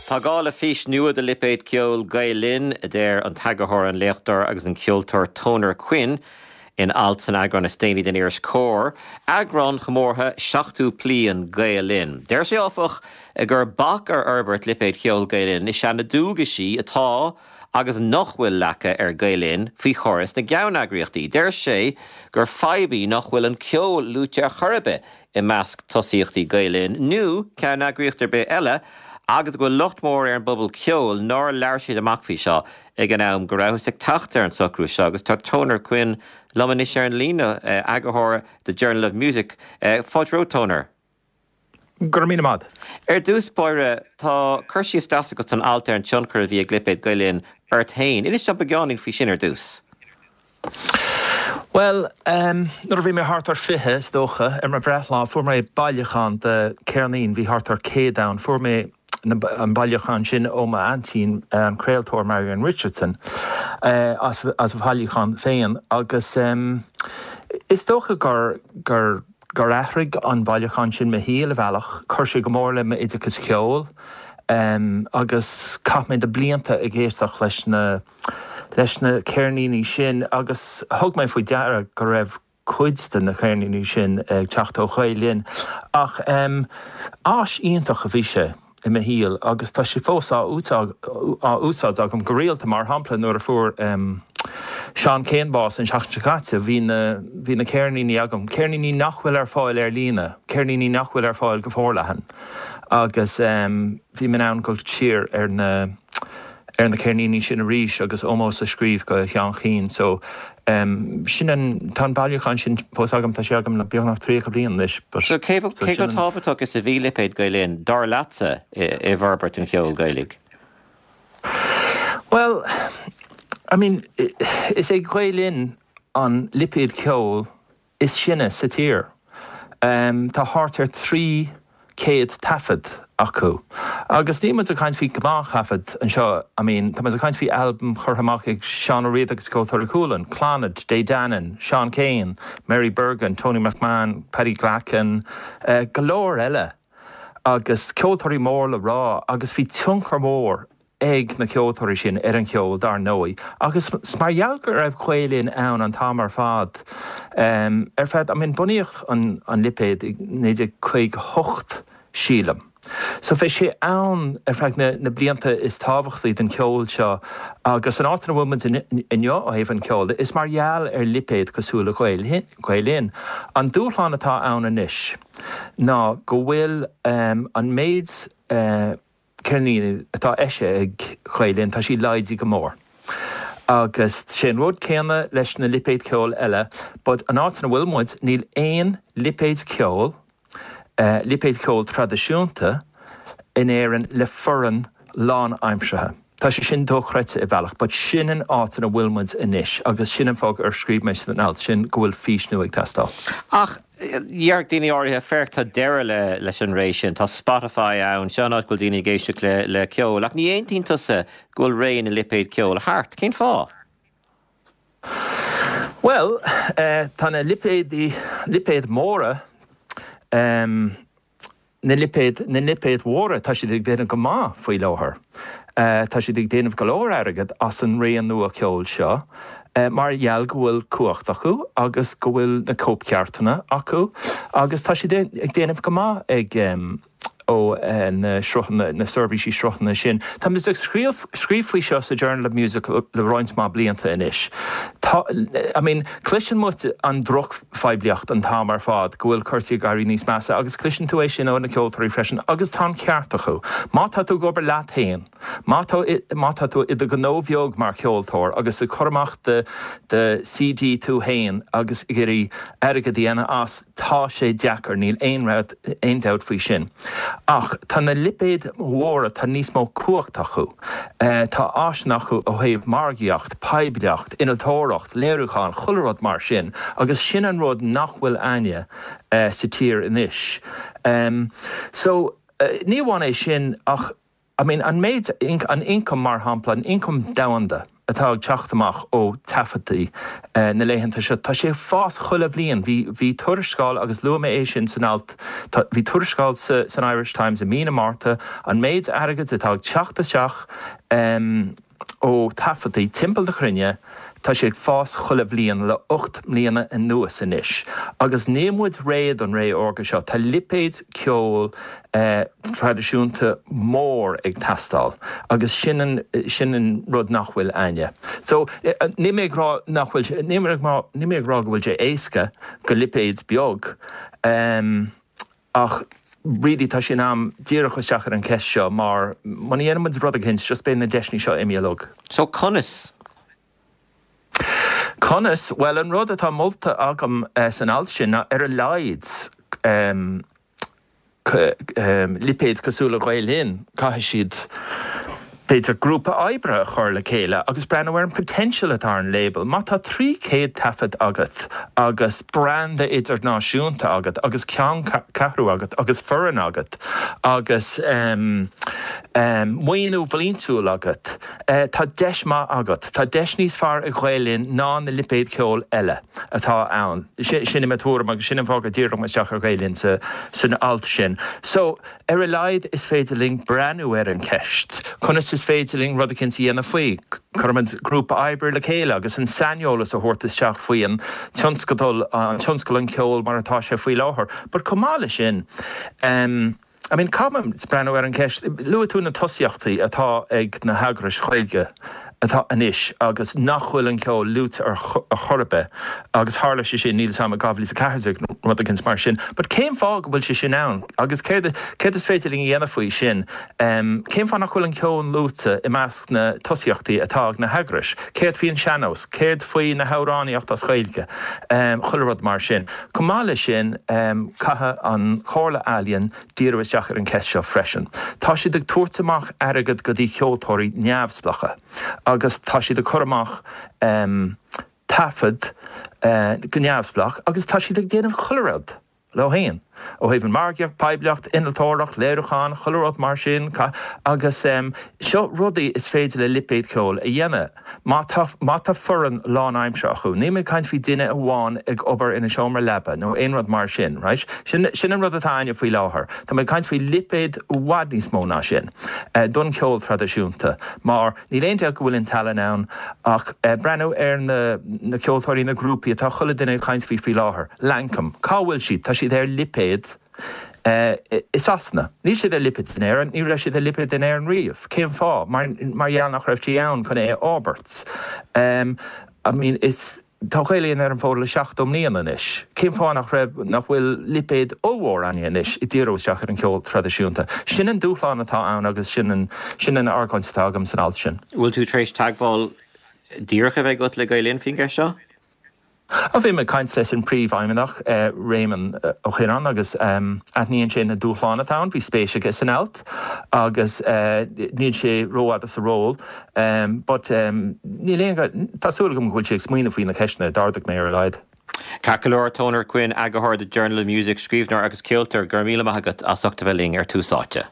Tá gá le fís nua do lipéad ceoil Gael Linn, a deir an t-eagarthóir, an léachtóir agus an ceoltóir Toner Quinn in alt san eagrán is déanaí den iris Comhar, eagrán chomórtha 70 bliain Gael Linn. Deir sé, áfach, gur bac ar fhorbairt lipéad ceoil Gael Linn is ea na dualgaisí atá agus nach bhfuil leagtha ar Gael Linn faoi chóras na gceanneagraíochtaí. Deir sé gur fadhb í nach bhfuil an ceol luaite ar chor ar bith i measc tosaíochtaí Gael Linn nó ceanneagraíocht ar bith eile agus go bhfuil locht mór ar an bpobal ceoil nár labhair siad amach faoi seo ag an am go rabhthas ag teacht ar an socrú seo agus tá Toner Quinn liom anois ar an líne, eagarthóir The Journal of Music. Fáilte romhat, Toner. Go raibh míle maith. Ar dtús báire, tá cur síos deas agat san alt ar an tionchar a bhí ag lipéad Gael Linn ort féin. Inis dom beagáinín faoi sin ar dtús. Bhuel, nuair a bhí mé thart ar 20, is dócha, ar mo bhreithlá, fuair mé bailiúchán de ceirníní, bhí thart ar 100 ann. Fuair mé an bailiúchán sin ó m'aintín, an craoltóir Marian Richardson, as a bhailiúchán féin agus is dócha gur, gur, gur athraigh an bailiúchán sin mo shaol i bhealach. Chuir sé go mór le m'oideachas ceoil agus chaith mé na blianta ag éisteacht leis na, leis na ceirníní sin agus thug mé faoi deara go raibh cuid de na ceirníní sin ag teacht ó Ghael Linn. Ach áis iontach a bhí sé i mo shaol agus tá sé fós á úsáid agam go rialta. Mar shampla nuair a fuair Seán Keane bás an tseachtain seo caite bhí na bhí na ceirníní agam, ceirníní nach bhfuil ar fáil ar líne, ceirníní nach bhfuil ar fáil go forleathan agus bhí mé in ann dul siar ar na ar na ceirníní sin arís agus ómós a scríobh go Sheán Keane. So, sin an, tá an bailiúchán sin fós agam, tá sé agam le beagnach 30 bliain anois but, So cé so cé chomh tábhachtach is a bhí lipéad Gael Linn, dar leatsa, i bhforbairt an cheoil Ghaelaigh? Bhuel, I mean, is é Gael Linn an lipéad ceoil is sine sa tír. Tá thart ar 300 taifead acu. Agus níl muid ag caint faoi ghnáth-thaifead anseo, I mean, tá muid ag caint faoi albaim curtha amach ag Seán Ó Riada agus Ceoltóirí Chualann, Clannad, Dé Danann, Seán Keane, Mary Bergin, Tony McMahon, Paddy Glackin, go leor eile. Agus ceoltóirí mór le rá agus bhí tionchar mór ag na ceoltóirí sin ar an cheol, dar ndóigh, agus mar gheall go raibh Gael Linn ann an t-am ar fad, ar feadh, I mean, bunaíodh an lipéad i 1958, sílim. So bhí sé ann ar feadh na blianta is tábhachtaí den cheol seo agus an áit ina bhfuil muid inniu ó thaobh an cheoil de, is mar gheall ar lipéad cosúil le Gael Linn. An dúshlán atá ann anois ná go bhfuil an méid, ceirníní atá eisithe ag Gael Linn, tá sí laghdaithe go mór. Agus sé an rud céanna leis na lipéid ceoil eile, but an áit ina bhfuil muid, níl aon lipéad ceoil, lipéad ceoil traidisiúnta in Éirinn le foireann lánaimseartha. Tá sé sin dochreidte i bhealach, but sin an áit ina bhfuil muid anois agus sin an fáth ar scríobh mé san alt sin go bhfuil fís nua ag teastáil. Ach déarfadh daoine áirithe, féach, tá deireadh leis an ré sin, tá Spotify ann, seo an áit go bhfuil daoine ag éisteacht le ceol. Ach ní aontaíonn tusa go bhfuil ré na lipéad ceoil thart. Cén fáth? Bhuel, tá na lipéadaí, lipéid mhóra, Na lipéid, na lipéid mhóra, tá siad ag déanamh go maith faoi láthair. Tá siad ag déanamh go leor airgead as an ré nua ceoil seo mar gheall go bhfuil cumhacht acu agus go bhfuil na cóipcheartanna acu agus tá siad ag déanamh go maith ag ó na sruthanna, na seirbhísí sruthanna sin. Tá muid ag scríobh faoi seo sa Journal of Music le roinnt mhaith blianta anois. Tá, I mean, cloiseann muid an drochphoiblíocht an t-am ar fad go bhfuil cúrsaí ag éirí níos measa agus cloiseann tú é sin ó na ceoltóirí freisin agus tá an ceart acu. Má tá tú ag obair leat féin, má tá, má tá tú i do ghnó bheag mar cheoltóir agus ag cur amach do, do CD tú féin agus ag iarraidh airgead a dhéanamh as, tá sé deacair, níl aon rud, aon dabht faoi sin. Ach tá na lipéid mhóra, tá níos mó cumhacht acu. Tá áiseanna acu ó thaobh margaíocht, poiblíocht, innealtóireacht, léiriúchán, chuile rud mar sin agus sin an rud nach bhfuil againne sa tír anois. So, ní amháin é sin ach, I mean, an méid, an ioncam mar shampla, an ioncam domhanda. atá ag teacht amach ó taifeadtaí na laethanta seo, tá sé ag fás chuile bhliain. Bhí, bhí tuarascáil, agus luaigh mé é sin san alt, tá, bhí tuarascáil sa, san Irish Times i mí na Márta, an méid airgid atá ag teacht isteach ó taifeadtaí timpeall na cruinne, tá sé ag fás chuile bhliain le 8 mbliana anuas anois. Agus níl muid réidh don ré órga seo. Tá lipéad ceoil traidisiúnta mór ag teastáil agus sin an, sin an rud nach bhfuil a'inne. So, níl mé ag rá nach bhfuil sé, níl mé ag rá, níl mé ag rá go bhfuil sé éasca do lipéad beag ach really tá sé in am díriú isteach ar an cheist seo mar muna dhéanann muid rud eicínt just beidh na deiseanna seo imithe uilig. So conas? Conas? Bhuel an rud atá molta agam san alt sin ná ar a laghad lipéid cosúil le Gael Linn, caithfidh siad b'fhéidir grúpa oibre a chur le chéile agus breathnú ar an potential atá ar an label. Má tá 300 taifead agat agus branda idirnáisiúnta agat agus ceanncheathrú agat agus foireann agat agus maoiniú bliantúil agat, tá deis maith agat. Tá deis níos fearr ag Gael Linn ná na lipéid cheoil eile. atá ann. Sin í mo thuairim agus sin an fáth go ndíreoidh mé isteach ar Ghael Linn san alt sin. So, ar a laghad is féidir linn breathnú ar an cheist. Conas is féidir linn rud eicínt a dhéanamh faoi? Cuirfimid grúpa oibre le chéile agus an saineolas a thabhairt isteach faoi an tionscadal, an tionscal an cheoil mar atá sé faoi láthair. But chomh maith leis sin, em, I mean, caithfimid breathnú ar an cheist, luaigh tú na tosaíochtaí atá ag na heagrais Ghaeilge atá anois agus nach bhfuil an ceol luaite ar chor ar bith agus tharla sé sin, níl 'fhios a'm, i 2014 nó rud éicint mar sin. But cén fáth go bhfuil sé sin ann agus céard, céard is féidir linn a dhéanamh faoi sin? Cén fáth nach bhfuil an ceol luaite i measc na tosaíochtaí atá ag na heagrais? Céard faoi an sean-nós? Céard faoi na hamhránaíocht as Gaeilge? Chuile rud mar sin. Chomh maith leis sin, caithfidh an Chomhairle Ealaíon díriú isteach ar an cheist seo freisin. Tá siad ag tabhairt amach airgead go dtí cheoltóirí neamhspleácha agus tá siad ag cur amach taifead go neamhspleách agus tá siad ag déanamh chuile rud leo féin ó thaobh an margaíocht, poiblíocht, innealtóireacht, léiriúchán, chuile rud mar sin agus seo rudaí is féidir le lipéad ceoil a dhéanamh. Má tá, má tá foireann lánaimseartha acu, níl mé ag caint faoi duine amháin ag obair ina seomra leaba nó aon rud mar sin, right? Sin, sin an rud atá a'inne faoi láthair. Tá mé ag caint faoi lipéad i bhfad níos mó ná sin don cheol traidisiúnta mar níl aon dabht go bhfuil an tallann ann ach breathnú ar na, na ceoltóirí, na grúpaí atá chuile duine ag caint faoi faoi láthair. Lankum, cá bhfuil siad? Tá siad ar lipéad. I Sasana. Níl siad ar lipéad in Éirinn, ní raibh siad ar lipéad in Éirinn riamh. Cén fáth? Mar, mar gheall nach raibh sé ann chun é a fhorbairt. I mean, is, tá Gael Linn ar an bhfód le 70 mbliana anois. Cén fáth nach raibh, nach bhfuil lipéad ollmhór a'inne anois ag díriú isteach ar an cheol traidisiúnta? Sin an dúshlán atá ann agus sin an, sin an argóint atá agam san alt sin. Bhfuil tú tar éis teagmháil díreach a bheith agat le Gael Linn faoin gceist seo? Á, bhí mé ag caint leis an bPríomhfheidhmeannach, Réamonn Ó Cuirreáin, agus aithníonn sé na dúshláin atá ann. Bhí spéis aige san alt agus níl sé rófhada sa ról. But níl aon, tá súil agam go bhfuil sé ag smaoineamh faoi na ceisteanna a d'ardaigh mé ar a laghad. Ceart go leor, Toner Quinn, eagarthóir The Journal of Music, scríbhneoir agus ceoltóir, go raibh míle maith agat as ucht a bheith linn ar Tús Áite.